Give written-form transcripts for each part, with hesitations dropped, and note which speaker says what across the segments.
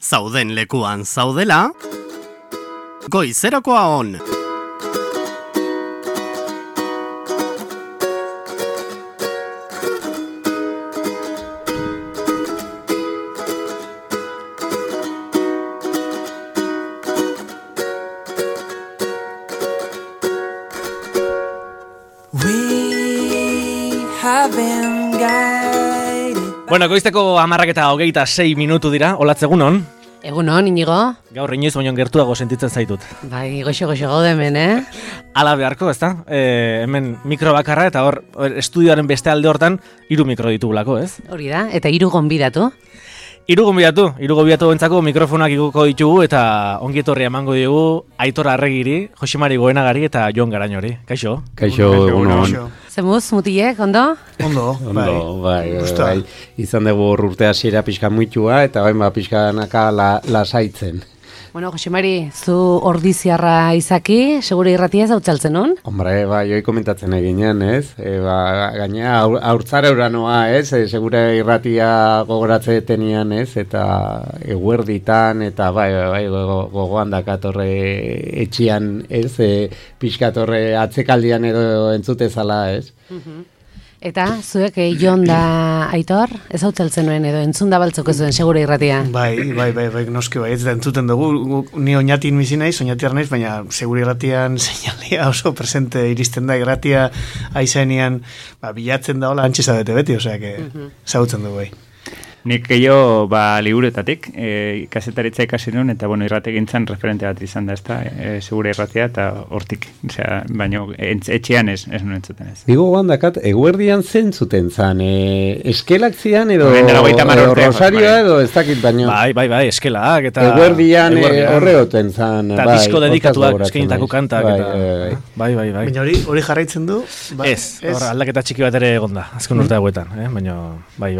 Speaker 1: Zauden lekuan zaudela, goizerakoa on.
Speaker 2: Bueno, goizteko 10:26 dira, olatz egunon.
Speaker 3: Egunon, Inigo.
Speaker 2: Gaur inoiz baino gertuago sentitzen zaitut.
Speaker 3: Bai, goxo gaude hemen,
Speaker 2: Ala beharko, ezta? Hemen mikro bakarra eta hor estudioaren beste alde hortan 3 mikro ditugulako, ez?
Speaker 3: Hori da, eta 3 gonbidatu.
Speaker 2: 3 gonbidatu bentzako mikrofonak iguko ditugu eta ongi etorria emango diogu Aitor Arregiri, Josemari Goenagari eta Jon Garañori. Kaixo?
Speaker 4: Kaixo, egunon.
Speaker 3: Zemuz, mutilek, ondo?
Speaker 4: Ondo, bai. Izan dugu urte hasiera pixka muitua eta bain pixkanaka lasaitzen.
Speaker 3: Bueno, Josemari, zu ordiziarra izaki, segure irratia ez hautzaltzen hon?
Speaker 4: Hombre, joi komentatzen eginean, ez? Gaina, haurtzara uranoa, ez? Segure irratia gogoratze tenian, ez? Eta eguerditan, eta bai, gogoan dakatorre etxian, ez? Pixkatorre atzekaldian edo entzutezala, ez?
Speaker 3: Eta, zuek Jon da Aitor, ez hautzaltzen nuen edo entzun da baltzoko zuen segure irratia?
Speaker 5: Bai, noski bai, ez da entzuten dugu, ni oinatin bizi naiz, oinatiar naiz, baina segure irratian seinalia oso presente iristen da, irratia aizanean bilatzen da hola antxeza beti, osea, zautzen dugu bai.
Speaker 6: Nik gehiago liburetatik, kasetaritza ikasi nuen, eta irrategintzan referente bat izan da, ezta, segure irratia, eta hortik, baina etxean ez nuen entzuten ez.
Speaker 4: Digo gandakat, eguerdian zentzuten zan, eskelak zian edo rosarioa edo ez dakit baino.
Speaker 2: Bai, eskelak, eta
Speaker 4: eguerdian horreoten zan.
Speaker 2: Eta disko dedikatuak eskenitako kantak, eta bai.
Speaker 5: Baina hori jarraitzen du?
Speaker 2: Ez, aldaketa txiki bat ere egonda, azken urte hauetan, baina bai.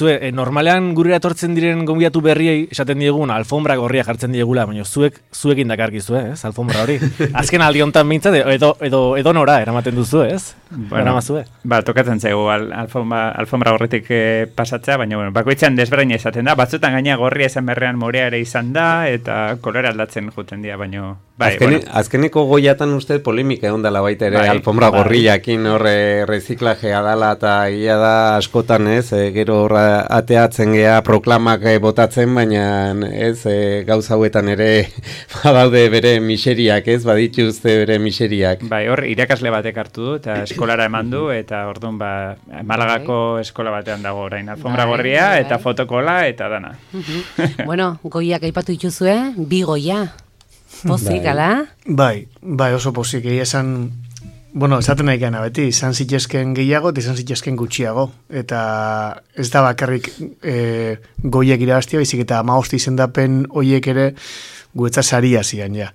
Speaker 2: Normalean gurera etortzen diren gonbidatu berriei esaten diegun alfombra gorria jartzen diegula, baina zuekin dakarkizu, ez? Alfombra hori. Azken aldi hontan mintzat edo nora eramaten duzu, ez? Eramazue.
Speaker 6: Tokatzen zaigu alfombra gorritik pasatzea, baina bakoitzan desberdina izaten da. Batzutan gaina gorria izan berrean morea ere izan da, eta kolore aldatzen juten dira, baina
Speaker 4: azkeneko goiatan uste polemika egon dela baita ere alfombra gorriakin horre reziklajea dela eta ia da askotan, ez? Gero horra ateatzen gea proklamak botatzen, baina ez gauza hauetan ere badaude bere miseriak, ez? Badituzte bere miseriak.
Speaker 6: Bai, hor irakasle batek hartu du eta eskolara eman du eta orduan Malagako eskola batean dago orain alfombra gorria eta fotokola eta dana.
Speaker 3: Bueno, goiak aipatu dituzue, 2 goia. Pozik, ala?
Speaker 5: Bai, oso pozik, esaten nahi gana beti, izan zitezken gehiago eta izan zitezken gutxiago. Eta ez da bakarrik goiek irabaztia, baizik eta 15 izendapen hoiek ere guetza saria zian, ja.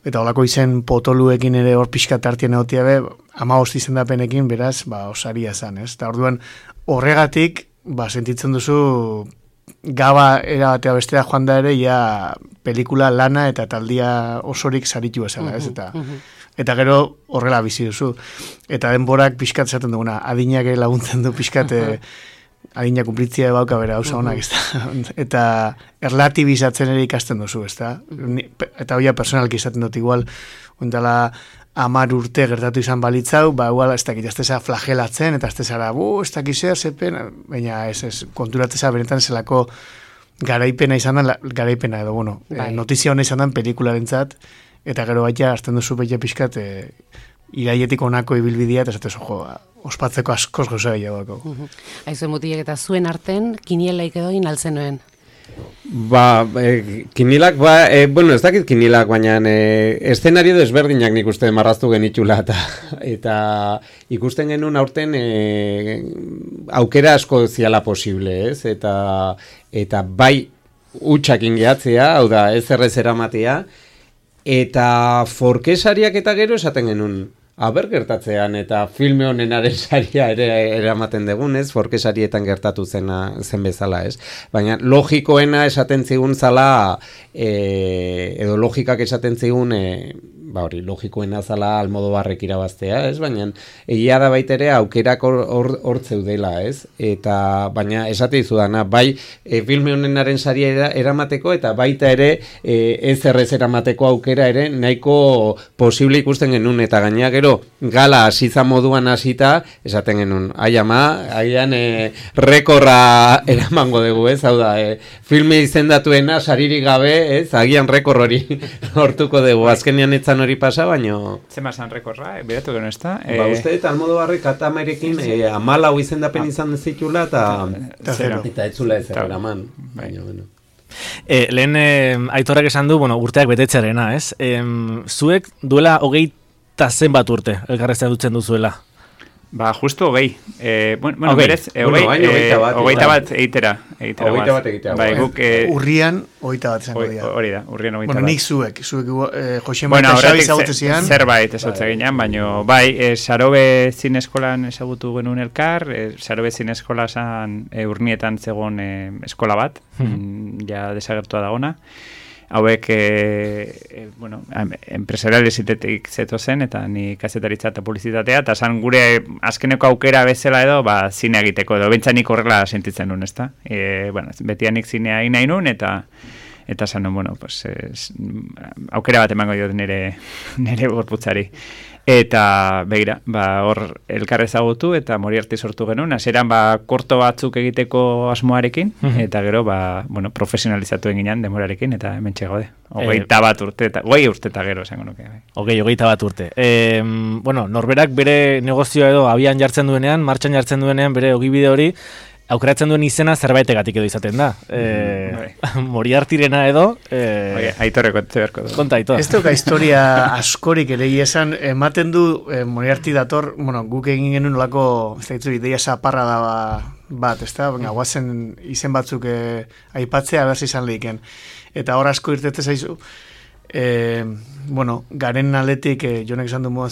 Speaker 5: Eta holako izen potoluekin ere hor pixka tartien egotia be, 15 izendapenekin beraz, osaria zan, ez? Eta orduan horregatik, sentitzen duzu gaba erabatea bestera joan da ere, ja pelikula lana eta taldia osorik saritu esala, ez? Eta gero horrela bizi duzu. Eta denborak pixkat esaten duguna, adinak laguntzen du pixkat, adinak kumplitzia bauka bera hauza honak, ez da? Eta erlatibizatzen ere ikasten duzu, ez da? Eta hoia personalki izaten dut igual, ondala 10 urte gertatu izan balitzau, igual ez dakit, ez teza flagelatzen, eta ez tezara, ez dakit zer, zepen, baina ez konturatzea benetan zelako garaipena izan da, garaipena edo, notizia hona izan da pelikularentzat, eta gero baita, azten duzu betia pixkat, iraietik onako ibilbidea, eta zatez, ospatzeko askoz gauza gehiagoako.
Speaker 3: Aizue mutilek eta zuen arten, kinielaik edo inaltzen nuen?
Speaker 4: Kinilak, ez dakit kinilak, baina eszenario desberdinak nik uste marraztu genitxula eta ikusten genuen aurten aukera asko ziala posible, ez? Eta bai utxakin gehatzea, hau da, ez errez eramatea, eta forkesariak eta gero esaten genuen, gertatzean eta filme honenaren saria ere eramaten dugun, ez? Forkesarietan gertatu zen bezala, ez? Baina logikoena esaten zigun zala, edo logikak esaten zigun ba hori, logikoena zala Almodobarrek irabaztea, ez? Baina egia da baita ere aukerak hor zeudela, ez? Eta baina esate dizudana, bai filme honenaren saria eramateko eta baita ere ez errez eramateko aukera ere nahiko posible ikusten genuen eta gainera gero gala hasiza moduan hasita esaten genuen, ai ama, aian rekorra eramango dugu, ez? Hau da, filme izendatuena saririk gabe, ez? Agian rekor hori hortuko dugu. Azkenean etzan hori pasa, baino...
Speaker 6: Zema zan rekorra, beratu geno ez da?
Speaker 4: Ba, uste eta Almodobarrek Atamarekin 14 izendapen izan zitula eta ez zula ez eraman. Baina, bueno.
Speaker 2: Lehen Aitorrak esan du, urteak betetzearena, ez? Zuek duela 20 zenbat urte elkarrezten dutzen duzuela?
Speaker 6: Ba, justu 20. Bueno, berez, 21 bat eitera. Bai, guk...
Speaker 5: Urrian 21 izango dira.
Speaker 6: Hori da, urrian 21 bat.
Speaker 5: Bueno, nik zuek Josema eta Xabi ezagutu zian.
Speaker 6: Zerbait ezagutzen ginean, baina bai, Sarobe zineskolan ezagutu genuen elkar, Sarobe zineskola zan urnietan zegoen eskola bat, ja desagertua dagona. Hauek, empresariales itetik zeto zen, eta ni kazetaritza eta publizitatea, eta zan gure azkeneko aukera bezala edo, zine egiteko edo, bentsanik horrela sentitzen nuen, ez da? Betianik zinea nahi nuen, eta zan nuen, aukera bat emango diot nire gorputzari. Eta, begira, hor elkar ezagutu eta Moriarty sortu genuen, hasieran korto batzuk egiteko asmoarekin, eta gero, profesionalizatu eginan demorarekin, eta hemen txegode. 21 urte, 20 urte eta gero, esango nuke.
Speaker 2: 21 urte. Norberak bere negozioa edo abian jartzen duenean, martxan jartzen duenean, bere ogibide hori, aukeratzen duen izena zerbaitegatik edo izaten da. Moriartyrena edo...
Speaker 6: Aitorreko beharko du.
Speaker 2: Konta, Aitor.
Speaker 5: Ez duka historia askorik ere esan, ematen du Moriarty dator, guk egin genuen olako, ez da ditzu, ideia zaparra da bat, ez da? Guazen izen batzuk aipatzea, berzi izan lehiken. Eta hor asko irtetze zaizu, garen aletik, jonek esan du moduan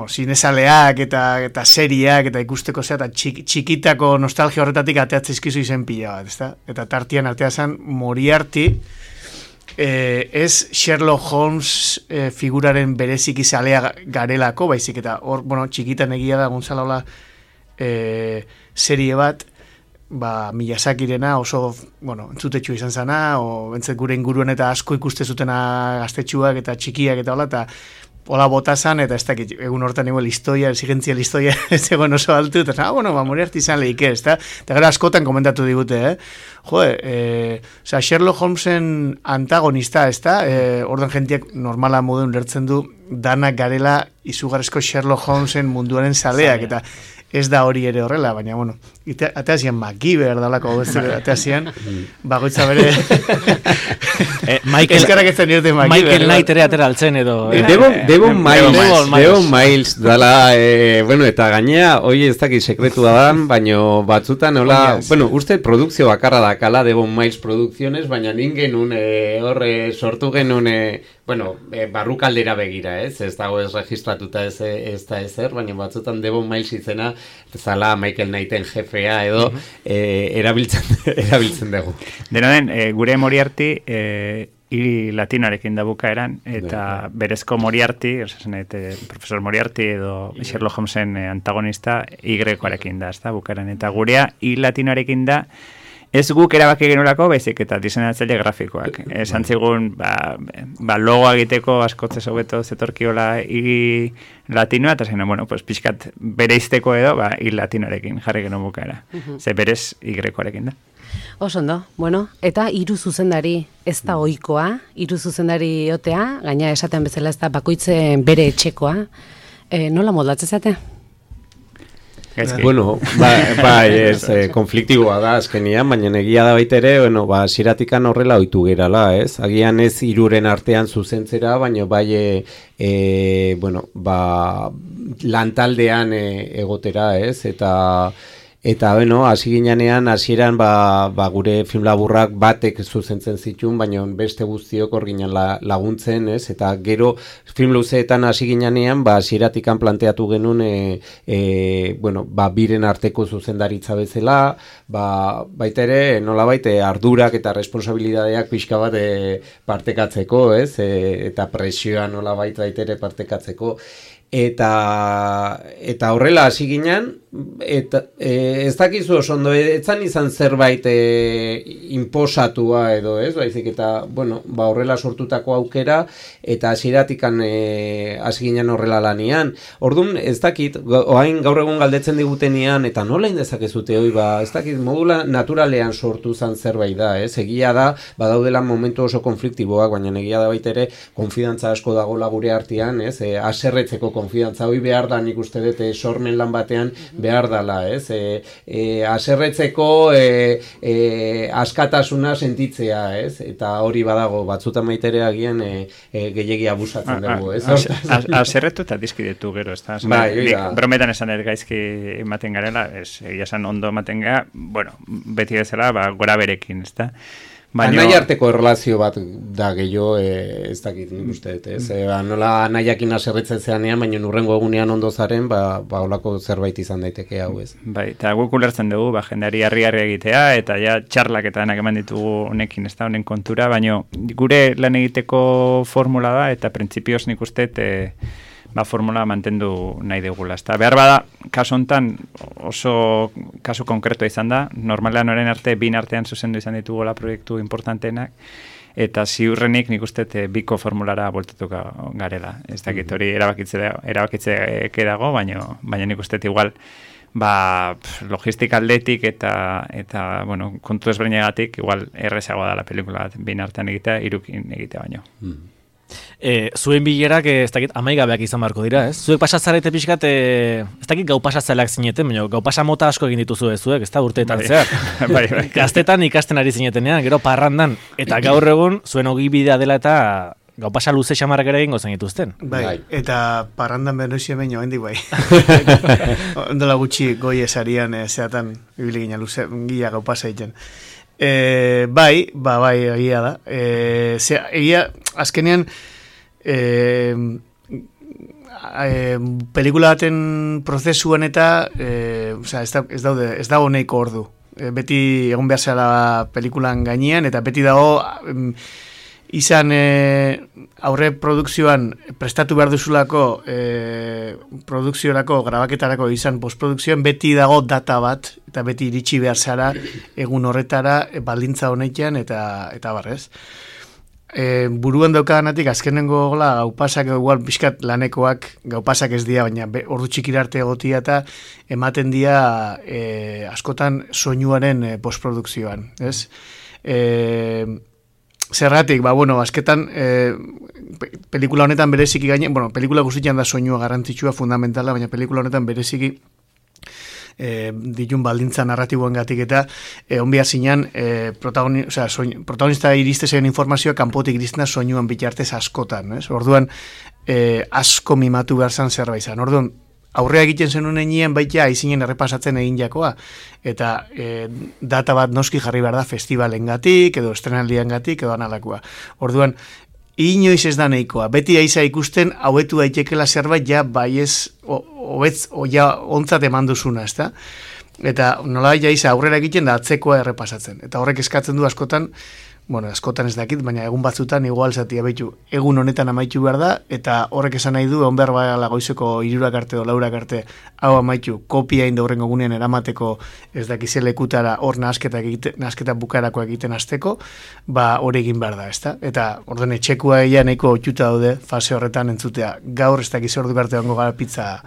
Speaker 5: zinezaleak eta seriak eta ikusteko zea, eta txikitako nostalgia horretatik ateatzizkizu izen pila bat, ezta? Eta tartian artea zen Moriarty, ez Sherlock Holmes figuraren berezik izalea garelako, baizik, eta hor, txikitan egia da gontzala hola serie bat, Miyazakirena oso, entzutetxu izan zana, entzet gure inguruan eta asko ikuste zutena gaztetxuak eta txikiak eta hola, eta hola botazan, eta ez dakit, egun hortan igual exigentzia listoia ez egon oso altu, eta Moriarty izan lehike, ez da? Eta gara askotan komentatu digute, Sherlock Holmesen antagonista, ez da? Ordan jentiak normala moduen lertzen du, danak garela izugarrizko Sherlock Holmesen munduaren zaleak, eta ez da hori ere horrela, baina, ateazian MacGyver dalako, ateazian, bagoitza bere... Eskarak ez zen irte MacGyver.
Speaker 2: Michael Knight ere atera altzen edo...
Speaker 4: Devon Miles dala, eta gainea, hoi ez dakit sekretu da, baina batzutan, uste produkzio bakarra da kala Devon Miles Producciones, baina ningen horre sortu genuen, barrukaldera begira, ez dago ez registratuta ez da ezer, baina batzutan Devon Miles izena, zala Michael Knighten jefea edo erabiltzen dugu.
Speaker 6: Dena den, gure Moriarty hiri latinarekin da bukaeran, eta berezko Moriarty, profesor Moriarty edo Sherlock Holmesen antagonista Y-arekin da, bukaeran, eta gurea hiri latinarekin da, ez guk erabaki genurako, baizik eta diseinatzaile grafikoak. Esan zigun, logoa egiteko askotzez hobeto zetorkiola hiri latinoa, eta zein, pixkat bereizteko edo, hiri latinoarekin jarri genuen bukaera. Ze berez Y-arekin da.
Speaker 3: Osondo, eta hiru zuzendari ez da ohikoa, hiru zuzendari otea, gaina esaten bezala ez da bakoitzen bere etxekoa. Nola moldatzen zate?
Speaker 4: Konfliktiboa da azkenian, baina egia da baita ere, ziratikan horrela ohitu gerala, ez? Agian ez hiruren artean zuzentzera, baina lantaldean egotera, ez? Eta Eta, bueno, hasi ginean, hasieran gure film laburrak batek zuzentzen zituen, baina beste guztiok hor ginen laguntzen, ez? Eta gero film luzeetan hasi ginean, hasieratikan planteatu genuen, biren arteko zuzendaritza bezala, baita ere, nolabait, ardurak eta responsabilidadeak pixka bat partekatzeko, ez? Eta presioa nolabait baita ere partekatzeko. Eta horrela hasi ginen, eta ez dakizu oso ondo, etzan izan zerbait inposatua edo, ez? Baizik eta, horrela sortutako aukera, eta hasieratikan hasi ginen horrela lanian. Orduan, ez dakit, oain gaur egun galdetzen digutenean, eta nola indezakezute hoi, ez dakit, modula naturalean sortu zan zerbait da, ez? Egia da, badaudela momentu oso konfliktiboak, baina egia da baita ere, konfidantza asko dagoela gure artean, ez? Haserretzeko konfidantza hori behar da, nik uste dut, sormen lan batean behar dala, ez? Haserretzeko askatasuna sentitzea, ez? Eta hori badago, batzutan maitere agian gehiegi abusatzen dugu, ez?
Speaker 6: Haserretu eta dizkidetu gero, ez da? Brometan esan gaizki ematen garela, egia esan ondo ematen gara, beti bezala, gora berekin, ez da?
Speaker 4: Anai arteko erlazio bat da gehiago, ez dakit nik uste dut, ez? Nola anaiakin haserretzen zeanean, baina urrengo egunean ondo zaren, holako zerbait izan daiteke hau, ez?
Speaker 6: Bai, eta guk ulertzen dugu, jendeari harri-harri egitea, eta ja txarlak eta denak eman ditugu honekin, ez da, honen kontura, baina gure lan egiteko formula da, eta printzipioz nik uste formula mantendu nahi dugula. Behar bada, kasu hontan oso kasu konkretua izan da, normalean orain arte, bin artean zuzendu izan ditugola proiektu importanteenak, eta ziurrenik nik uste biko formulara voltatuko garela. Ez dakit hori erabakitze dago, baina nik uste igual logistika aldetik eta kontu ezberdinagatik igual errezagoa da la pelikula bat bin artean egitea, hirukin egitea baino.
Speaker 2: Zuen bilerak, ez dakit, amaigabeak izan barko dira, ez? Zuek pasatzarete pixkat, ez dakit gau pasatzaileak zineten, baina gau pasa mota asko egin dituzu zuek, ez da, urteetan zehar. Gaztetan ikasten ari zinetenean, gero parrandan, eta gaur egun zuen ogibidea dela eta gau pasa luze xamarrak ere egingo zen dituzten.
Speaker 5: Bai, eta parrandan bernoizia baino, hendik bai. Ondola gutxi goi esarian, zeatan, ibili gina luze, gila gau pasa egiten. Bai, egia da. Egia, azkenean, pelikula baten prozesuan eta ez dago nahiko ordu. Beti egon behar zela pelikulan gainean, eta beti dago izan aurre produkzioan prestatu behar duzulako produkziorako, grabaketarako izan postprodukzioan, beti dago data bat, eta beti iritsi behar zara egun horretara baldintza honetan eta barrez. Buruan daukadanatik azkenengo gaupasak igual pixkat lanekoak gaupasak ez dira, baina ordu txikira arte egotia eta ematen dira askotan soinuaren postprodukzioan, ez? Zergatik, azketan pelikula honetan bereziki gaine, pelikula guztian da soinua garrantzitsua fundamentala, baina pelikula honetan bereziki ditun baldintza narratiboen gatik eta onbia zinean protagonista iriste zen informazioa kanpotik iristen da soinuan bitartez askotan, ez? Orduan asko mimatu behar zan zerbait zan. Orduan aurrea egiten zenuen egin baita aizinen errepasatzen egin jakoa, eta data bat noski jarri behar da festivalengatik edo estrenaldiengatik edo analakoa. Orduan inoiz ez da nahikoa. Beti aiza ikusten hauetu daitekela zerbait ja bai ez ontzat eman duzuna, ezta? Eta nola aiza aurrera egiten da atzekoa errepasatzen. Eta horrek eskatzen du askotan, askotan ez dakit, baina egun batzutan igual zatia behitu. Egun honetan amaitu behar da, eta horrek esan nahi du, onber bala goizeko 3 arte o 4 arte hau amaitu, kopia inda horrengo gunean eramateko ez dakize lekutara hor nasketa bukarako egiten hasteko, hori egin behar da, ezta? Eta orden etxekua egia nahiko otxuta daude fase horretan entzutea. Gaur ez dakize ordu arte ongo gara pizza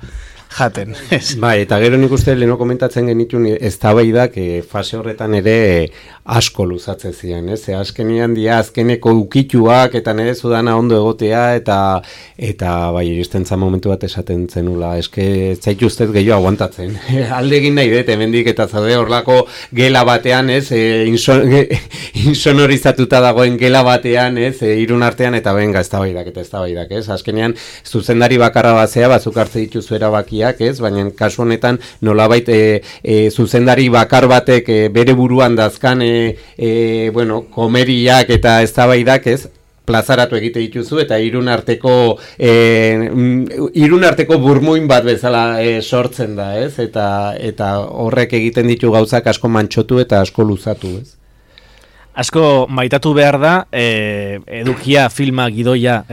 Speaker 5: jaten.
Speaker 4: Bai, eta gero nik uste leheno komentatzen genitun eztabaidak fase horretan ere asko luzatze ziren, ez? Azkenean dia azkeneko ukituak eta nire zudana ondo egotea eta bai iristen zan momentu bat esaten zenula, eske zaitu ustez gehiago aguantatzen. Alde egin nahi dut, hemendik eta zaude horlako gela batean, ez? Insonorizatuta dagoen gela batean, ez? Irun artean eta benga eztabaidak, ez? Azkenean zuzendari bakarra bazea, bazuk hartze dituzu erabakiak, ez? Baina kasu honetan nolabait zuzendari bakar batek bere buruan dazkan komeriak eta eztabaidak, ez? Plazaratu egite dituzu eta irun arteko burmuin bat bezala sortzen da, ez? Eta horrek egiten ditu gauzak asko mantxotu eta asko luzatu, ez?
Speaker 2: Asko maitatu behar da, edukia, filma, gidoia,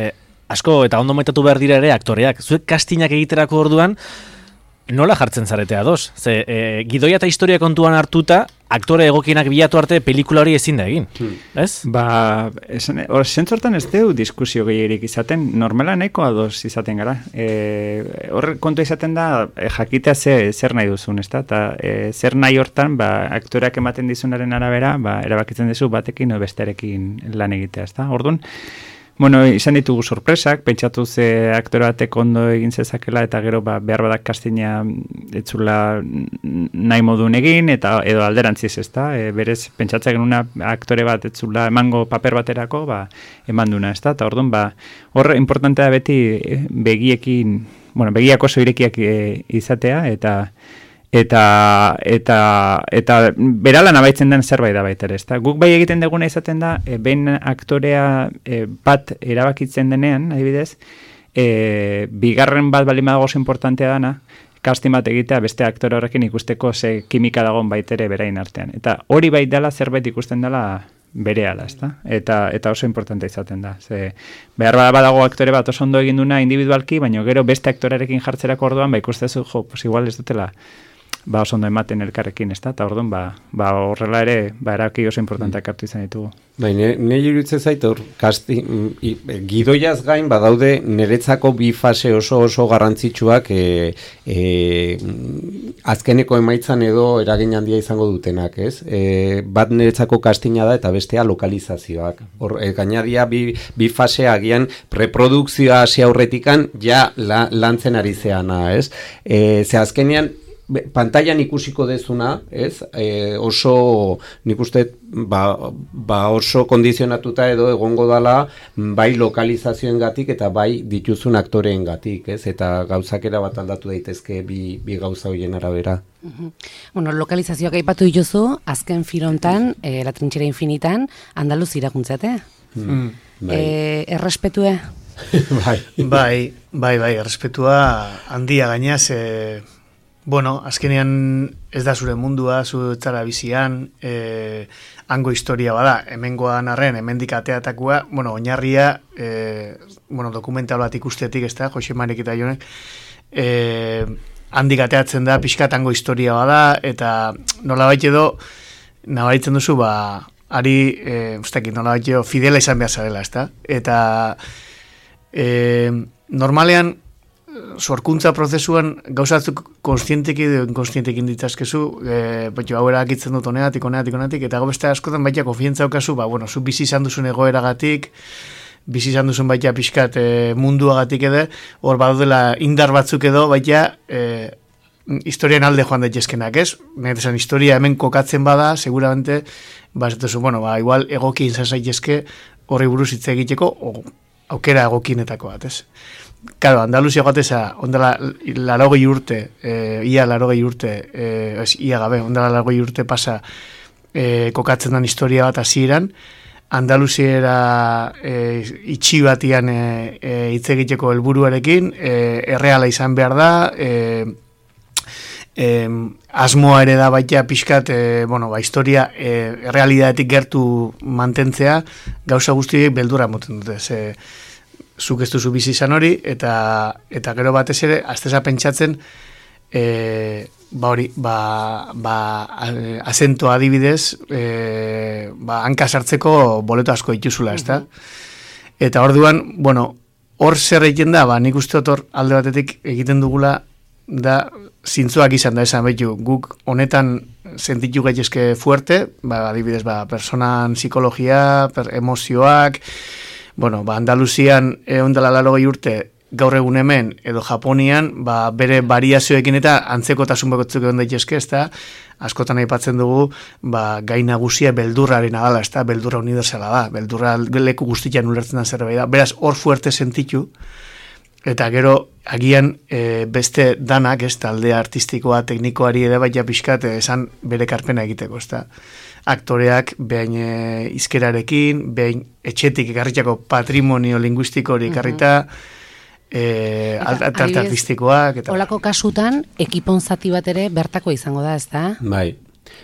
Speaker 2: asko eta ondo maitatu behar dira ere aktoreak. Zuek kastinak egiterako orduan, nola jartzen zarete ados? Ze, gidoia eta historia kontuan hartuta, aktore egokienak bilatu arte pelikula hori ezin da egin, ez?
Speaker 6: Zentzortan ez deu diskusio gehierik izaten, normala nahiko ados izaten gara. Hor kontu izaten da, jakitea zer nahi duzun, ez da? Eta zer nahi hortan, aktoreak ematen dizunaren arabera, erabakitzen duzu batekin o bestearekin lan egitea, ez da? Orduan, izan ditugu sorpresak, pentsatu ze aktore batek ondo egin zezakela eta gero behar badak kastina etzula nahi modun egin eta edo alderantziz, ez da? Berez, pentsatzen genuna aktore bat etzula emango paper baterako, eman duna, ez da? Eta orduan, hor importantea beti begiak oso irekiak izatea eta beralan abaitzen den zerbait da baita ere, ezta? Guk bai egiten duguna izaten da, behin aktorea bat erabakitzen denean, adibidez, bigarren bat bali badago oso importantea dana, casting bat egitea beste aktore horrekin ikusteko ze kimika dagoen baita ere berain artean. Eta hori bai dela zerbait ikusten dela berehala, ezta? Eta oso importante izaten da. Ze behar badago aktore bat oso ondo egin duna individualki, baina gero beste aktorearekin jartzerako orduan, ikustezu, pues igual ez dutela oso ondo ematen elkarrekin, ez da? Eta orduan, horrela ere, erabaki oso importanteak hartu izan ditugu.
Speaker 4: Nire iruditzen zait, gidoiaz gain badaude niretzako bi fase oso garrantzitsuak azkeneko emaitzan edo eragin handia izango dutenak, ez? Bat niretzako kastina da eta bestea lokalizazioak. Gainadia bi fase agian preprodukzioa hasi aurretikan ja lantzen ari zeana, ez? Ze azkenean pantailan ikusiko dezuna, ez? Oso, nik uste, oso kondizionatuta edo egongo dala bai lokalizazioengatik eta bai dituzun aktoreengatik, ez? Eta gauzakera bat aldatu daitezke bi gauza horien arabera.
Speaker 3: Lokalizazioak aipatu dituzu, azken filontan, La Trinchera Infinitan, Andaluz irakuntzate. Errespetue?
Speaker 5: Bai, errespetua handia gainaz, azkenean ez da zure mundua, zu etzara bizian, hango historia bada, hemengoan arren, hemendik ateatakua, oinarria, dokumental bat ikustetik, ez da, Jose Marik eta Jonek, handik ateatzen da, pixkat hango historia bada, eta nolabait edo, nabaritzen duzu, nolabait edo, fidela izan behar zarela, ez da, eta normalean, sorkuntza prozesuan gauzatzuk konstientekin edo inkonstientekin ditazkezu, hau erakitzen dut honeatik, eta beste askotan baita konfientza okazu, zu bizi izan duzun egoeragatik, bizi izan duzun baita pixkat munduagatik edo, hor badudela indar batzuk edo, baita historian alde joan daitezkenak, ez? Netesan historia hemen kokatzen bada, seguramente, igual egoki izan zaitezke horri buruz hitz egiteko, aukera egokinetako bat, ez? Claro, Andaluzia gateza, ondala larogei urte, ia larogei urte pasa kokatzen den historia bat hasieran, Andaluziera itxi batian hitz egiteko helburuarekin, erreala izan behar da, asmoa ere da baita pixkat, historia errealidadetik gertu mantentzea, gauza guztiek beldura moten dute, zuk ez duzu bizi izan hori, eta gero batez ere, azteza pentsatzen, azentoa adibidez, hanka sartzeko boleto asko dituzula, ez da? Eta orduan, hor zer egiten da, nik uste hor alde batetik egiten dugula da zintzoak izan da esan betu, guk honetan sentitu gaitezke fuerte, adibidez, personan psikologia, emozioak, Andaluzian ondala 80 urte, gaur egun hemen, edo Japonian, bere variazioekin eta antzekotasun bakotzuk egon daitezke, ezta, askotan aipatzen dugu, gai nagusia beldurraren adala, ezta, beldurra universala da, beldurra leku guztian ulertzen da zerbait da, beraz, hor fuerte sentitu, eta gero, agian beste danak, ez, taldea artistikoa, teknikoari ere baita pixkat, esan bere karpena egiteko, ezta. Aktoreak behin izkerarekin, behin etxetik ekarritako patrimonio linguistiko hori ekarrita, arte artistikoak.
Speaker 3: Olako kasutan, ekipon zati bat ere bertako izango da, ezta?
Speaker 4: Bai.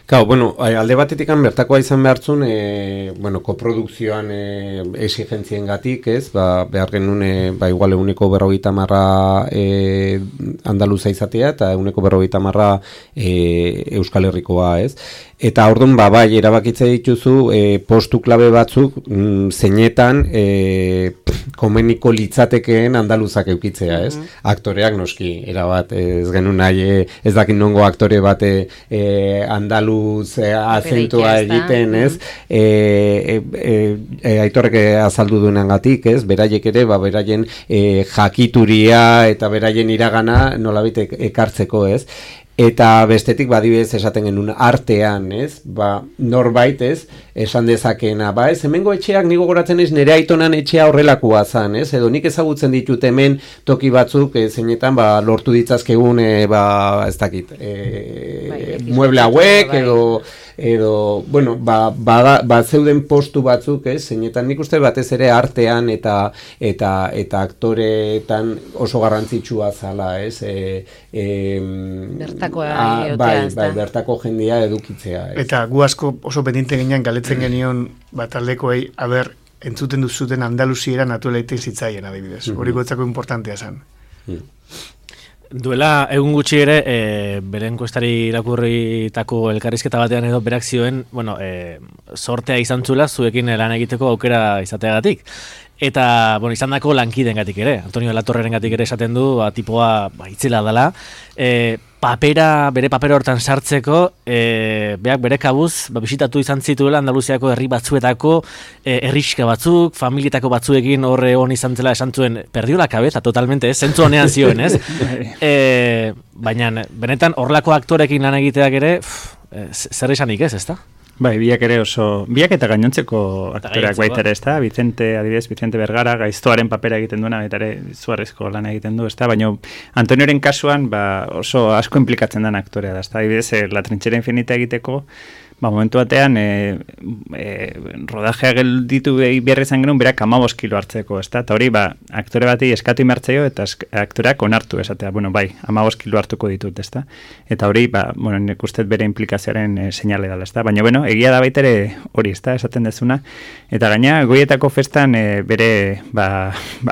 Speaker 4: Gau, alde batetik bertakoa izan behartzun, koprodukzioan exigentzien gatik, ez, behar genuen, igual 50% Andaluza izatea, eta 50% Euskal Herrikoa, ez. Eta orduan, bai, erabakitze dituzu, postu klabe batzuk, zeinetan, komeniko litzatekeen andaluzak eukitzea, ez? Aktoreak noski, erabat, ez genuen nahi, ez dakin nongo aktore bat andaluz azentua egiten, ez? Aitorrek azaldu duenan gatik, ez? Beraiek ere, beraien jakituria eta beraien iragana nolabait ekartzeko, ez? Eta bestetik badibidez esaten genuen artean, ez? Norbait, ez? Esan dezakeena, ez? Hemengo etxeak nigo goratzen ez nire aitonan etxea horrelakoa zan, ez? Edo nik ezagutzen ditut hemen toki batzuk, zeinetan, lortu ditzazkegun, ez dakit, mueble hauek, edo, zeuden postu batzuk, ez? Zeinetan nik uste batez ere artean eta aktoreetan oso garrantzitsua zala, ez? Bertako jendia edukitzea.
Speaker 5: Eta gu asko oso pendiente ginean galetzen genion taldekoei, entzuten duzuten Andaluziera natuela iten zitzaien, adibidez. Hori gotzako importantea zen.
Speaker 2: Duela egun gutxi ere, bere enkuestari irakurritako elkarrizketa batean edo berak zioen, sortea izan zula zuekin lan egiteko aukera izateagatik. Eta, izan dako lankiden gatik ere, Antonio Latorreren gatik ere esaten du, tipoa itzela dela, bere papera hortan sartzeko, beak bere kabuz, bisitatu izan zituela Andaluziako herri batzuetako herriska batzuk, familietako batzuekin horre hon izan zela esan zuen, perdio la cabeza totalmente, zentzu honean zioen, ez? Baina, benetan, horlako aktorekin lan egiteak ere, zer esanik ez, ezta?
Speaker 6: Bai, biak ere biak eta gainontzeko aktoreak baita ere, ezta? Vicente Vergara, gaiztoaren papera egiten duena, baita ere zuarrizko lan egiten du, ezta? Baina Antonioren kasuan oso asko implikatzen den aktorea da, ezta? Adibidez, La Trinchera Infinita egiteko, momentu batean, rodajea gelditu behar izan genuen, berak 15 kilo hartzeko, ezta? Eta hori, aktore bati eskatu imartzeo, eta aktoreak onartu, esatea, 15 kilo hartuko ditut, ezta? Eta hori, nik uste bere implikazioaren seinale dela, ezta? Baina, egia da baita ere hori, ezta, esaten dezuna. Eta gaina, Goietako festan bere,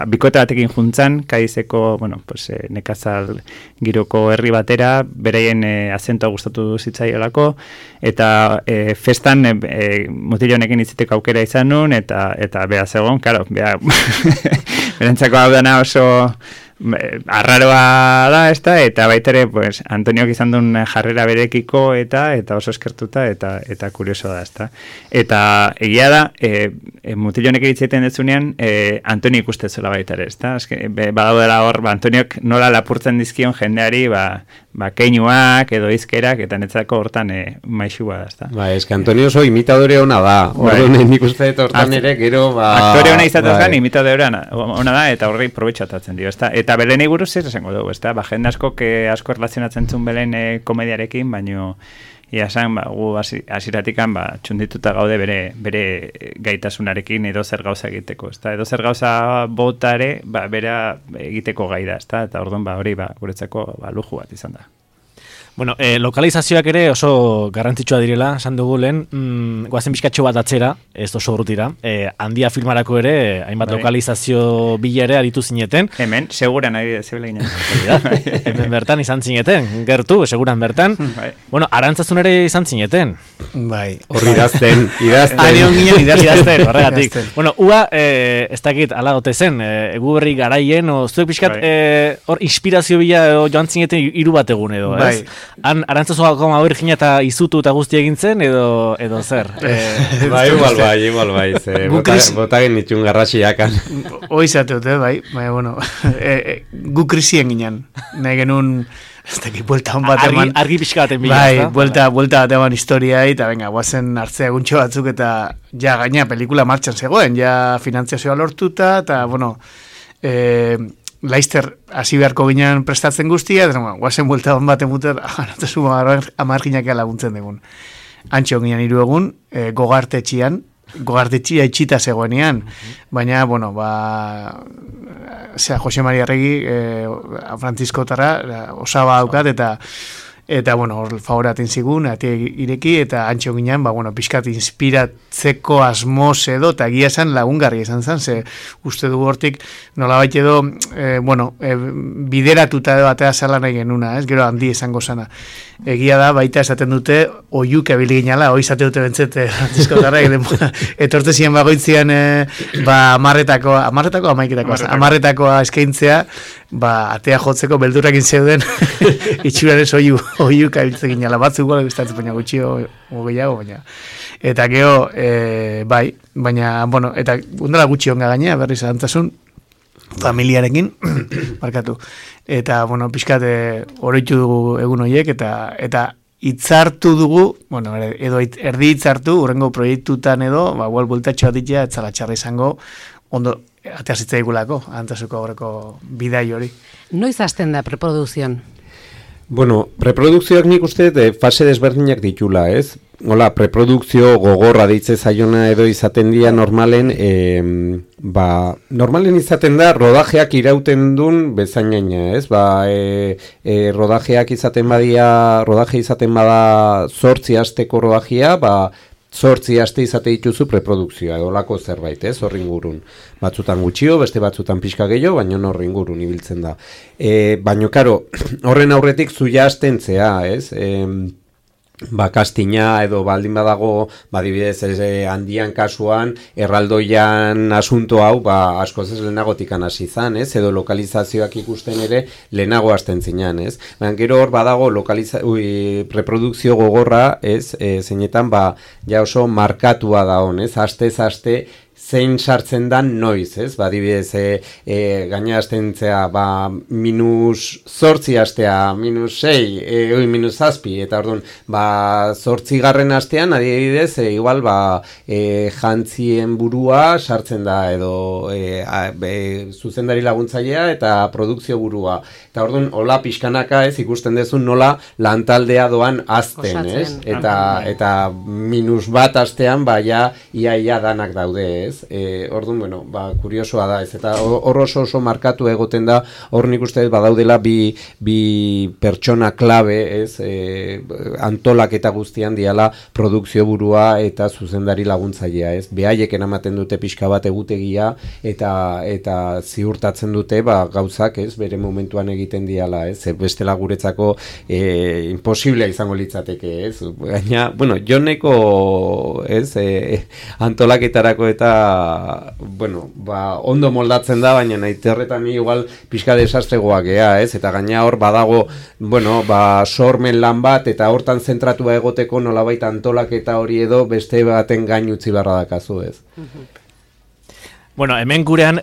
Speaker 6: bikote batekin juntzan, Kaizeko, nekazal giroko herri batera, bereien azentoa gustatu zitzaiolako, eta festan mutil honekin itziteko aukera izan nun, eta beha zegoen, karo, berantzako hau dana oso arraroa da, eta baitere, Antoniok izan duen jarrera berekiko, eta oso eskertuta, eta kurioso da, ezta. Eta egia da, mutil honekin itziten dezunean, Antonio ikustezuela baitare, ezta. Badaudela hor, Antoniok nola lapurtzen dizkion jendeari, keinuak edo izkerak, eta netzako hortan maixua da, ezta.
Speaker 4: Antonio oso imitadore ona da, orduan nik uste hortan ere, gero,
Speaker 6: aktore ona izatezgan, imitadore ona da, eta horri probetxatatzen dio, ezta. Eta Belenei buruz ez esango dugu, ezta? Jende asko erlazionatzen zuen Belen komediarekin, baino ia esan, gu hasieratikan txundituta gaude bere gaitasunarekin edo zer gauza egiteko, ezta? Edo zer gauza bota ere, bera egiteko gai da, ezta? Eta orduan hori guretzako luju bat izan da.
Speaker 2: Bueno, lokalizazioak ere oso garrantzitsua direla, esan dugu lehen, guazen bizkatxo bat atzera, ez oso urrutira, handia filmarako ere, hainbat lokalizazio bila ere aritu zineten.
Speaker 6: Hemen, seguran ari zebela ginen.
Speaker 2: Hemen bertan izan zineten, gertu, seguran bertan. Bueno, Arantzazun ere izan zineten.
Speaker 5: Bai.
Speaker 4: Horri idazten.
Speaker 2: Idazten, horregatik. Bueno, ua, ez dakit, ala gote zen, egu berri garaien, zuek pixkat, hor, inspirazio bila joan zineten hiru bat egun edo, ez? Han, Arantzazuako Virginia eta izutu eta guzti egintzen, edo zer?
Speaker 4: Igual bai, bota genitxun garrasiakan.
Speaker 5: Oizateute, bai, bueno, gu krisien ginen, nahi genuen, ez dakit, buelta hon bat eman.
Speaker 2: Argi pixka baten bila,
Speaker 5: bai, buelta bat eman historiai, eta venga, guazen hartzea guntxo batzuk, eta ja, gaina, pelikula martxan zegoen, ja, finantziazioa lortuta, eta, bueno, Laister hasi beharko ginen prestatzen guztia, eta guazen buelta hon bat emuter, amarginak laguntzen dugun. Antxo ginen 3 egun, gogartetxia itxita zegoenean, baina, bueno, Jose Maria Arregi, Francisco Tarra, osaba daukat, eta bueno, hor favoraten zigun, ireki, eta antxo ginen, bueno, pixkat inspiratzeko asmoz edo, eta egia esan lagungarri esan zen, ze uste dugu hortik, nolabait edo, bideratuta edo batea zala nahi genuna, ez? Gero handi esango zana. Egia da, baita esaten dute, oiuk ebili ginala, izate dute bentzete, Francisco Tarra, etorte ziren bagoitzian, amarretakoa eskaintzea, atea jotzeko beldurrakin zeuden, itxuraren oiuk abiltzen ginala, batzuk gola gustatzen, baina gutxio gehiago, baina. Eta geho, bai, baina, bueno, eta undala gutxi onga gainea, berriz Arantzasun, familiarekin, markatu. Eta, bueno, pixkat, oroitu dugu egun horiek, eta hitzartu dugu, bueno, edo erdi hitzartu, urrengo proiektutan edo, bueltatxoa ditea, etzala txarra izango, ondo, atea zitzaigulako, Arantzazuko horreko bidai hori.
Speaker 3: Noiz hasten da preprodukzion?
Speaker 4: Bueno, preprodukzioak nik uste fase desberdinak ditula, ez? Hola, preprodukzio gogorra deitze zaiona edo izaten dira normalen, normalen izaten da rodajeak irauten duen bezainaina, ez? Rodajeak izaten bada 8 asteko rodajea, 8 aste izate dituzu preprodukzioa, olako zerbait, ez, horri ingurun. Batzutan gutxio, beste batzutan pixka gehiago, baina horri ingurun ibiltzen da. Baina, karo, horren aurretik zuia astentzea, ez? Kastina edo baldin badago, dibidez, handian kasuan, erraldoian asunto hau, askoz ez lehenagotikan hasi zan, ez? Edo lokalizazioak ikusten ere lehenago hasten zinan, ez? Baina gero hor badago reprodukzio gogorra, ez? Zeinetan, ja oso markatua da hon, ez? Aste zein sartzen dan noiz, ez? Dibidez, gaina astentzea, -8 astea, -6, -7, eta orduan, 8. astean, adibidez, igual, jantzien burua sartzen da, edo zuzendari laguntzailea eta produkzio burua. Eta orduan, hola pixkanaka, ez, ikusten dezun nola lantaldea doan azten, ez? Eta -1 astean, ia danak daude, ez? Orduan, bueno, kuriosoa da, ez? Eta hor oso markatu egoten da, hor nik uste badaudela bi pertsona klabe, ez? Antolaketa guztian diala produkzio burua eta zuzendari laguntzailea, ez? Behaieken ematen dute pixka bat egutegia eta ziurtatzen dute gauzak, ez? Bere momentuan egiten diala, ez? Bestela guretzako imposiblea izango litzateke, ez? Gaina, bueno, joneko, ez? Antolaketarako eta ondo moldatzen da, baina nahi terretan igual pixka desastregoak gea, ez? Eta gaina hor badago, sormen lan bat, eta hortan zentratua egoteko nolabait antolaketa hori edo beste baten gain utzi barra dakazu, ez?
Speaker 2: Bueno, hemen gurean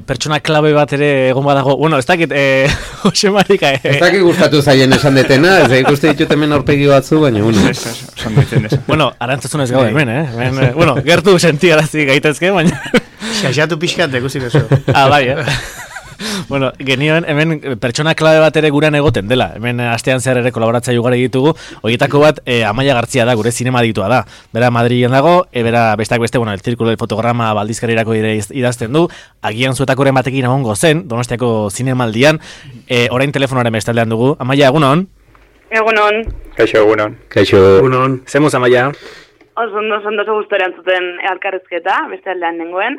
Speaker 2: pertsona klabe bat ere egon badago. Bueno, ez dakit, Jose Marika...
Speaker 4: Ez dakit gustatu zaien esan detena, ez ikuste ditut hemen aurpegi batzu, baina,
Speaker 2: bueno, Arantzazun ez gau hemen, bueno, gertu sentiarazi gaitezke, baina...
Speaker 5: Xaxatu pixkat, ikusi beso.
Speaker 2: Bai, Bueno, genioen, hemen pertsona klabe bat ere gurean egoten dela. Hemen astean zehar ere kolaboratza ugari ditugu. Horietako bat, Amaia Gartzia da, gure zinema ditua da. Bera Madrilen dago, bera besteak beste, el Zirkulo del Fotograma baldizkarirako idazten du. Agian zuetakoren batekin egongo zen, Donostiako zinemaldian. Orain telefonoaren bestaldean dugu. Amaia, egunon?
Speaker 7: Egunon.
Speaker 6: Kaixo, egunon.
Speaker 4: Kaixo.
Speaker 5: Egunon.
Speaker 2: Zemuz, Amaia?
Speaker 7: Oso gustora entzuten elkarrizketa, beste aldean nengoen.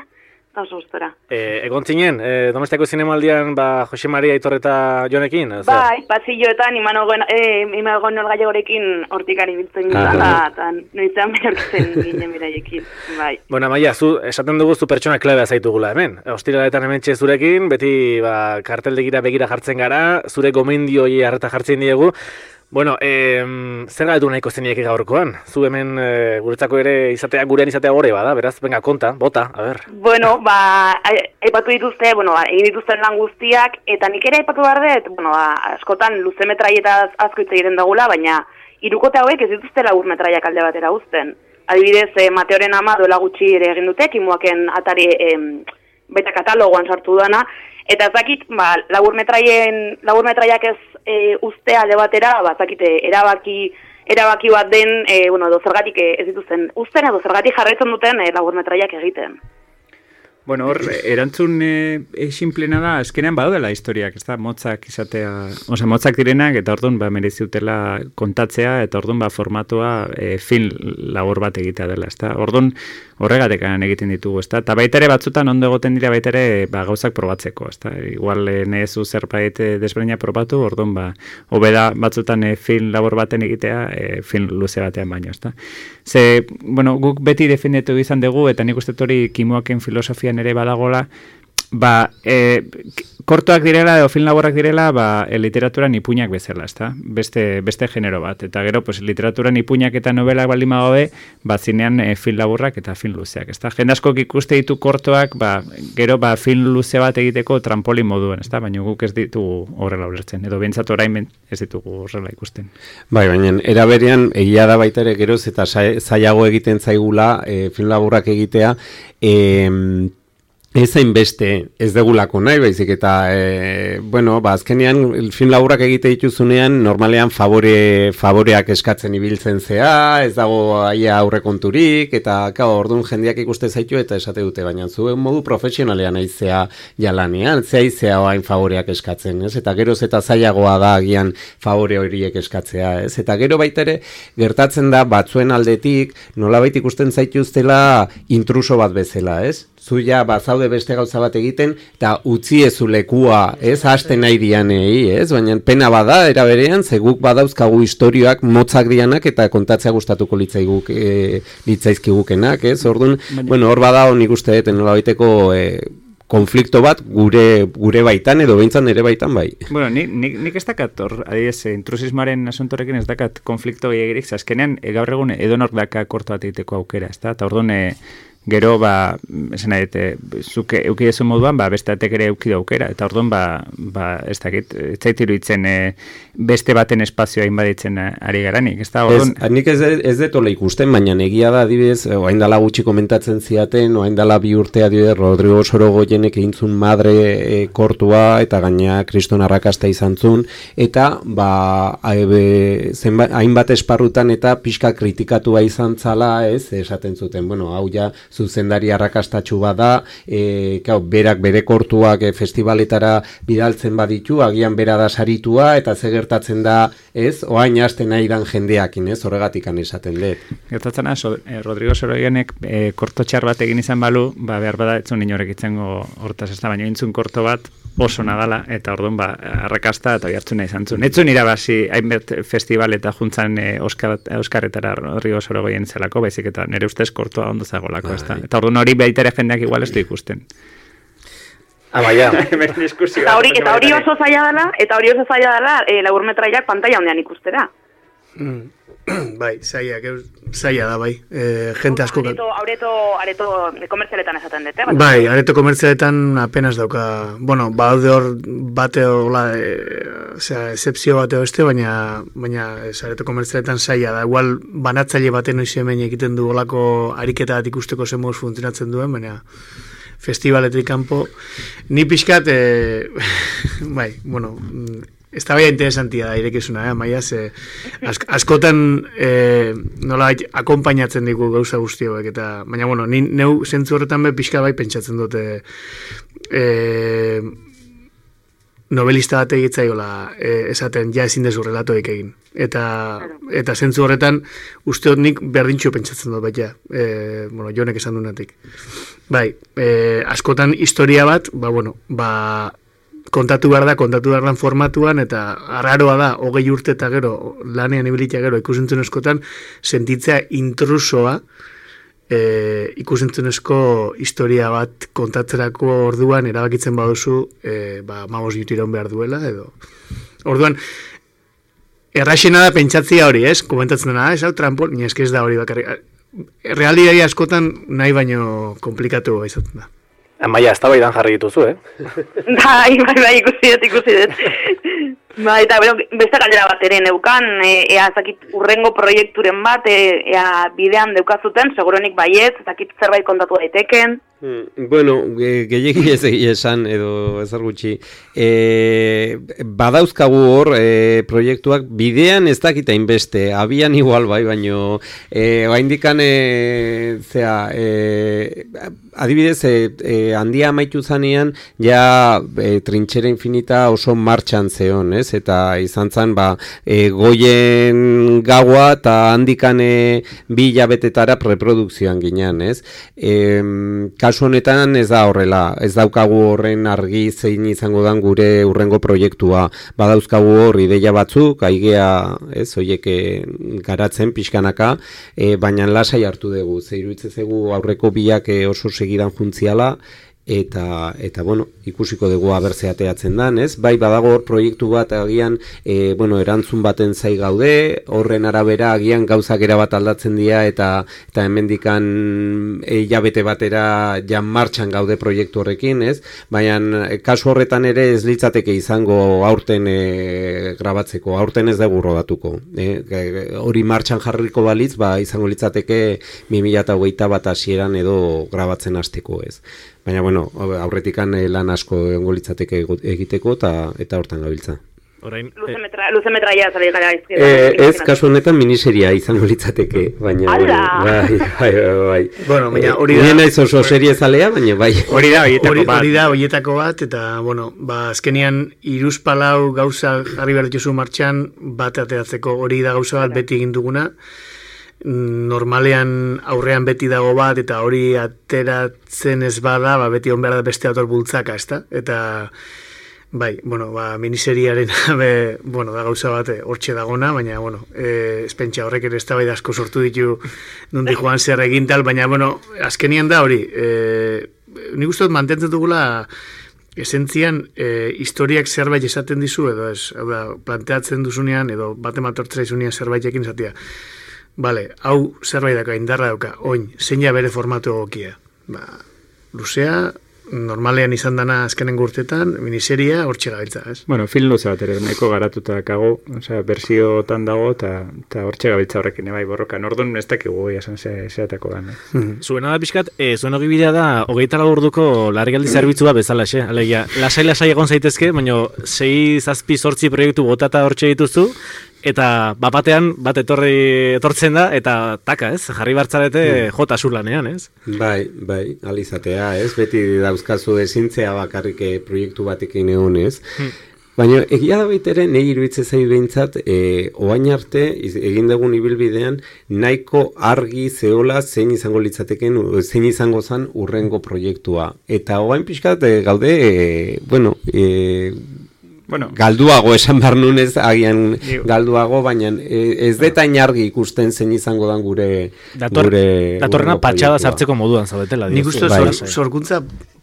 Speaker 7: Oso gustora.
Speaker 2: Egon zinen, Donostiako zinemaldian, Jose Maria Aitor eta Jonekin?
Speaker 7: Bai, pasilloetan, imagon Gallagorekin hortikan ibiltzen ginen, eta noizean behortzen ginen beraiekin, bai.
Speaker 2: Bueno, Amaia, zu, esaten dugu zu pertsona klabea zaitugula hemen. Ostiraletan hemen zurekin, beti karteldegira begira jartzen gara, zure gomendioi harreta jartzen diegu. Bueno, zer galetu nahiko zeniek gaurkoan? Zu hemen guretzako ere gurean izatea gore bada, beraz, venga, konta, bota, a ber.
Speaker 7: Bueno, aipatu dituzte, egin dituzten lan guztiak, eta nik ere aipatu behar dut, askotan luze metraietaz asko hitz egiten dagula, baina hirukote hauek ez dituzte lagur metraiak alde batera uzten. Adibidez, Mateoren ama duela gutxi ere egin dute, Kimuaken atari beta katalogoan sartu dana, eta ez dakit, lagur metraiak ez ustea alde batera, erabaki bat den, edo zergatik ez dituzten usten, edo zergatik jarraitzen duten lagur metraiak egiten.
Speaker 6: Bueno, hor, erantzun sinplena da, azkenean badaudela historiak, ez da, motzak izatea, motzak direnak, eta orduan merezi dutela kontatzea, eta orduan formatua film labor bat egitea dela, ez da. Orduan horregatekan egiten ditugu, ez da. Eta baita ere batzutan ondo egoten dira baita ere gauzak probatzeko, ez da. Igual nezu zerbait desberdina probatu, orduan hobeda batzutan film labor baten egitea film luze batean baino, ez da. Ze, bueno, guk beti defendetu izan dugu, eta nik uste hori Kimuaken filosofian ere badagola, kortoak direla edo film laborrak direla literaturan ipuinak bezala, ezta? Beste genero bat. Eta gero, literaturan ipuinak eta novelak baldin badabe, zinean film laborrak eta film luzeak, ezta? Jende askok ikuste ditu kortoak, gero film luze bat egiteko trampolin moduan, ezta? Baina guk ez ditugu horrela ulertzen, edo bentsat orain ez ditugu horrela ikusten.
Speaker 4: Bai, baina era berean egia da baita ere geroz eta zailago egiten zaigula film laborrak egitea, ez hainbeste ez degulako nahi, baizik eta, azkenean film laburrak egite dituzunean, normalean favoreak eskatzen ibiltzen zea, ez dago aia aurrekonturik, eta orduan jendeak ikuste zaitu eta esate dute, baina zuen modu profesionalean aizea jalanean, zea hain favoreak eskatzen, ez? Eta geroz eta zailagoa da agian favore horiek eskatzea, ez? Eta gero baita ere, gertatzen da batzuen aldetik, nolabait ikusten zaituztela intruso bat bezala, ez? Zuia bazaude beste gauza bat egiten, eta utzi ezu lekua, ez, hasten nahi dianei, ez, baina pena bada, era berean, zeguk badauzkagu historioak motzak dianak, eta kontatzea gustatuko litzaizkigukenak, ez, orduan, hor bada nik uste dut, nolabaiteko konflikto bat gure baitan, edo behintzan ere baitan bai.
Speaker 6: Bueno, nik ez dakat, adibidez, intrusismoaren asuntorekin ez dakat konflikto gehiagirik, azkenean, gaur egun edonor daka korto bat egiteko aukera, ez da, eta orduan, gero, esan nahi, zuk eukidezu moduan, beste batek ere eukidu aukera, eta orduan, ez dakit, ez zaitiru itzen beste baten espazioa inbaditzen ari garanik, ez da, orduan...
Speaker 4: Nik ez detola ikusten, baina egia da, adibidez, oain dala gutxi komentatzen ziaten, oain dala 2 urte adibidez, Rodrigo Sorogoyenek egintzun madre kortua, eta gaina kriston arrakasta izan zun, eta, hainbat esparrutan eta pixka kritikatua izan zala, ez, esaten zuten, hau ja, zuzendari arrakastatxu bada, berak bere kortuak festivaletara bidaltzen baditu, agian bera da saritua, eta ze gertatzen da, ez, oain hasten nahi dan jendeakin, ez, horregatikan esaten dut.
Speaker 6: Gertatzen da, Rodrigo Sorogoyenek korto txar bat egin izan balu, behar bada etzun inorek itzengo hortaz, ez da, baina intzun korto bat oso nadala, eta orduan arrakasta eta jartzuna izan zuen. Etzun irabasi hainbet festival eta juntzan Euskarretara Rodrigo Sorogoyen zelako, baizik eta nire ustez kortoa ondo zagolako, ez da. Eta orduan hori baitere jendeak igual ez du ikusten.
Speaker 2: Amaia.
Speaker 7: Eta hori oso zaila dela, laburmetraiak pantalla ondean ikustera.
Speaker 5: Bai, zaila da, bai. Jente asko...
Speaker 7: Areto komertzialetan esaten dute,
Speaker 5: bai, areto komertzialetan apenas dauka... Bueno, baude hor bate hola, excepzio bateo beste, baina areto komertzialetan zaila da. Igual banatzaile baten noiz hemen egiten du olako ariketa bat ikusteko zenmoz funtzionatzen duen, baina festivaletik kanpo. Ni pixkat, bai, bueno... Ez da baina interesantia da irekizuna, Maia, askotan nola akompainatzen digu gauza guzti hauek, eta, baina, bueno, ni neu zentzu horretan be pixka bai pentsatzen dute novelista bat egitzaiola esaten ja ezin dezu relatoik egin. Eta zentzu horretan uste dut nik berdintxo pentsatzen dut baita, Jonek esan duenatik. Bai, askotan historia bat, kontatu behar dan formatuan, eta arraroa da, 20 urte eta gero, lanean ibilitea gero, ikusentzunezkotan, sentitzea intrusoa, ikusentzunezko historia bat kontatzerako orduan erabakitzen baduzu, 15 iraun behar duela, edo. Orduan, erraxena da pentsatzia hori, ez? Komentatzen dena, ez hau trampol, ni eske ez da hori bakarrik. Realitatea askotan nahi baino komplikatu izaten da.
Speaker 2: Amaia, ez da baidan jarri dituzu,
Speaker 7: Bai, ikusi dut. Eta, beste galdera bat ere neukan, ea zakit urrengo proiekturen bat, ea bidean deukazuten, seguronik baietz, zakit zerbait kontatu daiteken.
Speaker 4: Bueno, gehiegi ez esan, edo ezer gutxi. Badauzkagu hor proiektuak bidean ez dakita inbeste, abian igual bai, baino oraindikan adibidez handia amaitu zanean ja trintxera infinita oso martxan zeon, ez? Eta izan zen goien gaua eta handikan 2 hilabetetara preprodukzioan ginean, ez? Kasu honetan ez da horrela, ez daukagu horren argi zein izango dan gure urrengo proiektua. Badauzkagu hor ideia batzuk, aigea, ez, hoiek garatzen pixkanaka, baina lasai hartu dugu. Iruditzen zaigu aurreko biak oso segidan juntziala, eta bueno, ikusiko dugu abertze ateatzen dan, ez? Bai, badago hor proiektu bat agian, erantzun baten zai gaude, horren arabera agian gauzak erabat aldatzen dira, eta hemendikan hilabete batera jan martxan gaude proiektu horrekin, ez? Baina kasu horretan ere ez litzateke izango aurten grabatzeko, aurten ez dugu rodatuko. Hori martxan jarriko balitz, izango litzateke 2021 hasieran edo grabatzen hasteko, ez? Baina, aurretikan lan asko egongo litzateke egiteko eta hortan gabiltza.
Speaker 7: Luze metraia zari gara izkera.
Speaker 4: Ez, kasu honetan miniseria izango litzateke, baina... Bai.
Speaker 5: Bueno, baina hori da...
Speaker 4: Nien naiz oso serie zalea, baina bai.
Speaker 5: Hori da horietako bat, eta, azkenian 3-4 gauza jarri behar dituzu martxan, bat ateratzeko hori da gauza bat beti egin duguna. Normalean aurrean beti dago bat, eta hori ateratzen ez bada, beti on behar da beste autor bultzaka, ezta? Eta, miniseriaren, da gauza bat hortxe dagona, baina, espentsa horrek ere ez da asko sortu ditu nundi joan zer egin tal, baina, azkenian da hori, nik uste dut mantentzen dugula esentzian historiak zerbait esaten dizu, edo ez, planteatzen duzunean, edo bate matortzera izunean zerbaitekin esatia. Bale, hau zerbait daka, indarra dauka, oin, zein bere formatu egokia. Luzea, normalean izan dana azkenengo urtetan, miniseria hortxe gabiltza, ez?
Speaker 6: Bueno, film luze bat ere, nahiko garatuta dakago, berziotan dago, eta hortxe gabiltza horrekin, borrokan. Orduan ez dakigu esan zeatako da.
Speaker 2: Zuena da pixkat, zuen ogibidea da, 24 orduko larrialdi zerbitzua bezala, alegia, lasai egon zaitezke, baina 6-7-8 proiektu botata hortxe dituzu, eta batean bat etortzen da, eta taka, ez? Jarri bartzarete jota zurlanean, ez?
Speaker 4: Bai, alizatea, ez? Beti dauzkazu ezintzea bakarrik proiektu batekin egon, ez? Baina egia da baitere, nahi iruditzen zaitu behintzat, oain arte, egin dugun ibilbidean, nahiko argi zeola zein izango litzateken, zein izango zen urrengo proiektua. Eta oain pixkat gaude, galduago esan behar nunez, agian galduago, baina ez detain argi ikusten zein izango dan gure...
Speaker 2: Datorrena patxada sartzeko moduan zaudetela.
Speaker 5: Nik uste sorkuntza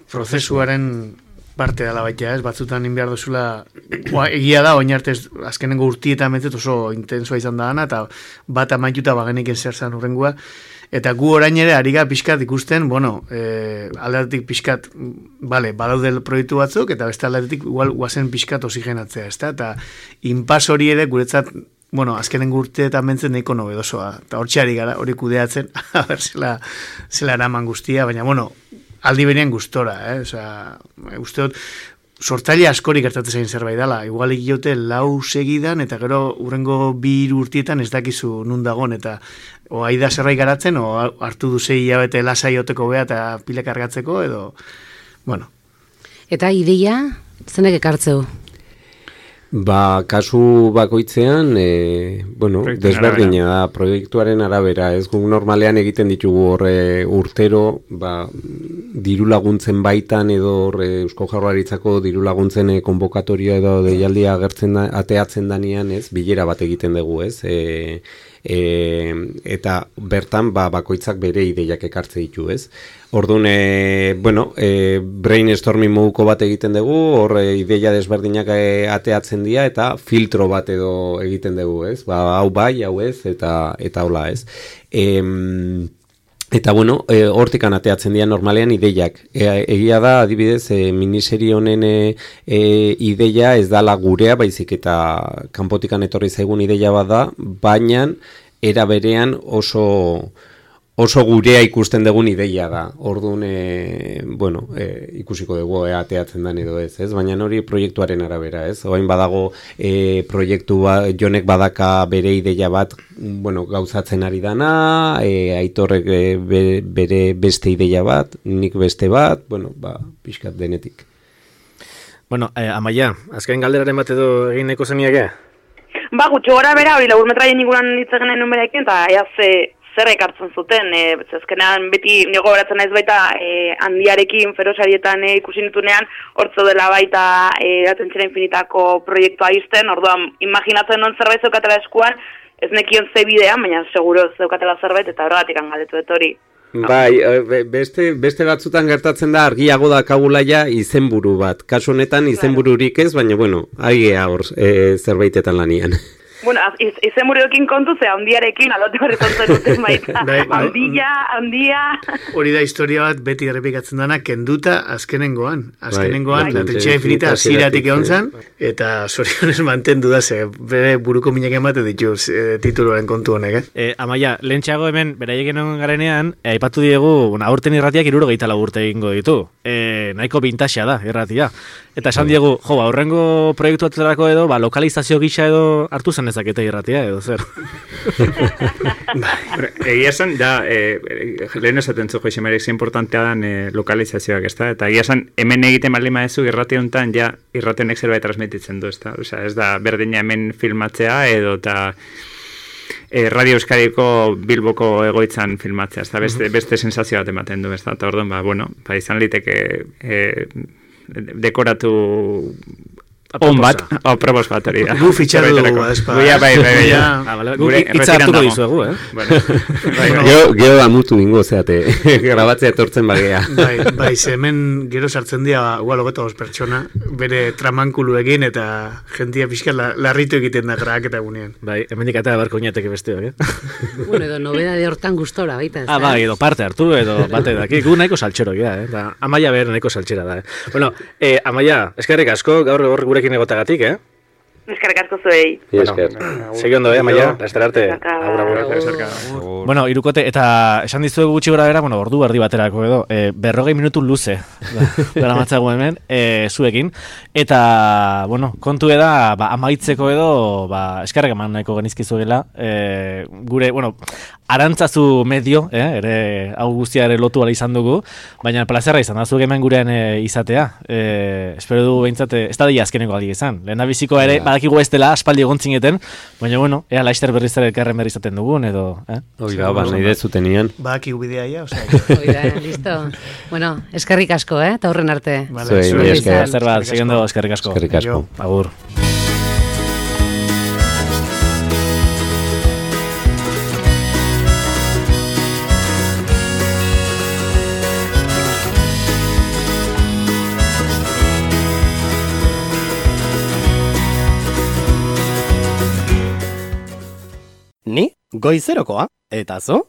Speaker 5: prozesuaren parte dela baita, ez? Batzutan inbiar duzula, egia da, oin arte azkenengo urtietan betzet oso intensua izan da gana, eta bat amaituta bagenik zer zan urrengua, eta gu orain ere ari gara pixkat ikusten, aldatik pixkat, badaude proiektu batzuk, eta beste aldatik igual guazen pixkat oxigenatzea, ezta? Eta inpas hori ere guretzat, azkenengo urteetan bentzen nahiko nobedosoa, eta hortxe ari gara, hori kudeatzen, zela eraman guztia, baina, aldi berean gustora, uste dut, sortzaile askorik gertatzen zain zerbait dela, igual egiote 4 segidan, eta gero urrengo 2 urtietan ez dakizu nun dagon, eta o aida zerbait garatzen, o hartu du 6 hilabete lasai oteko bea eta pila kargatzeko, edo,
Speaker 3: Eta ideia, zenek ekartzeu?
Speaker 4: Ba, kasu bakoitzean, bueno, desberdina da, proiektuaren arabera, ez guk normalean egiten ditugu horre urtero, ba, diru laguntzen baitan edo Eusko Jaurlaritzako diru laguntzen konbokatoria edo deialdia ateatzen danean, ez, bilera bat egiten dugu, ez, eta bertan bakoitzak bere ideiak ekartze ditu, ez? Orduan, brainstorming moduko bat egiten dugu, hor ideia desberdinak ateatzen dira eta filtro bat edo egiten dugu, ez? Ba, hau bai, hau ez, eta hola, ez? Eta bueno, hortikan ateatzen dira normalean ideiak. Egia da, adibidez, miniserie honen ideia ez dala gurea, baizik eta kanpotikan etorri zaigun ideia bat da, baina era berean oso gurea ikusten dugun ideia da. Orduan, ikusiko dugu ateatzen den edo ez, baina hori proiektuaren arabera, ez? Oain badago proiektu jonek badaka bere ideia bat, gauzatzen ari dana, Aitorrek bere beste ideia bat, nik beste bat, pixkat denetik.
Speaker 2: Amaia, azken galderaren bat edo egin nahiko zeniake?
Speaker 7: Ba, gutxo gora bera, hori laburmetraien inguruan ditzen genuen numerekin, eta zer ekartzen zuten, azkenean beti nigo beratzen naiz baita handiarekin ferosarietan ikusi nitunean, hortzo dela baita Atentzera Infinitako proiektua izten, orduan imaginatzen non zerbait zeukatela eskuan, ez nekion ze bidean, baina seguro zeukatela zerbait, eta horregatik galdetu dut hori.
Speaker 4: Bai, beste batzutan gertatzen da argiago da kabulaia izenburu bat. Kasu honetan izenbururik ez, baina aigea hor zerbaitetan lanian.
Speaker 7: Bueno, izenburuekin kontu, ze handiarekin aldote horretzen duten baita. Handia.
Speaker 5: Hori da historia bat beti errepikatzen dana, kenduta azkenengoan. Atentzera Infinita hasieratik egon zen, eta zorionez mantendu da, ze bere buruko minak emate ditu tituluaren kontu honek.
Speaker 2: Amaia, lehentxeago hemen, beraiek egon garenean, aipatu diegu, aurten irratiak 64 urte egingo ditu. Nahiko bintaxea da, irratia. Eta esan diegu, aurrengo proiektu atzerako edo, lokalizazio gisa edo hartu zen ezakete irratia edo zer.
Speaker 6: Egia esan, lehen esaten zu Joxe Marek, importantea dan lokalizazioak, ez da? Eta egia esan, hemen egiten baldin badezu irratia honetan, irrationek zerbait transmititzen du, ez da? Osea, ez da berdina hemen filmatzea edo eta Radio Euskadiko Bilboko egoitzan filmatzea, ez da? Beste sensazio bat ematen du, ez da? Eta orduan, izan liteke dekoratu on bat, probos bat hori da.
Speaker 5: Gu fitxatu dugu, ezpa.
Speaker 2: Gu itza hartuko dizuegu,
Speaker 4: Gero da mutu ingo, zeate, grabatzea etortzen bagea.
Speaker 5: Bai, hemen gero sartzen dira, logeta pertsona, bere tramankuluekin eta jentia pixka larritu egiten da grak eta gunean.
Speaker 2: Bai, hemen dikatea barko inateke besteak,
Speaker 3: Bueno, edo nobeda de hortan gustora, baita.
Speaker 2: Bai, edo parte hartu, edo bate daki, gu nahiko saltxero gira, eta Amaia behar nahiko saltxera da, Bueno, Amaia, eskerrik asko, gaur gurekin egotagatik,
Speaker 7: Eskerrik asko zuei.
Speaker 2: Segi ondo, Amaia, laster arte. Bueno, irukote, eta esan dizuegu gutxi gora bera, ordu erdi baterako edo, 40 minutu luze, dara matzago hemen, zuekin, eta, kontu eda, amaitzeko edo, eskerrak eman nahiko genizkizuela, gure, arantzazu medio, ere, hau guztia ere lotu ala izan dugu, baina plazerra izan da, zuek hemen gurean izatea, espero du behintzat, ez da dira azkeneko aldi izan, lehen da bizikoa ere, badakigu ez dela, aspaldi egontzineten, baina, ea laizter berriz ere elkarren berri izaten dugun, edo,
Speaker 4: Oida, nahi dezutenian.
Speaker 5: Badakigu bidea ia,
Speaker 3: Oida, listo. Bueno, eskerrik asko, eta horren arte.
Speaker 2: Zer bat, segundo, eskerrik asko.
Speaker 4: Eskerrik asko.
Speaker 2: Agur.
Speaker 1: Ni, goizerokoa, eta zo?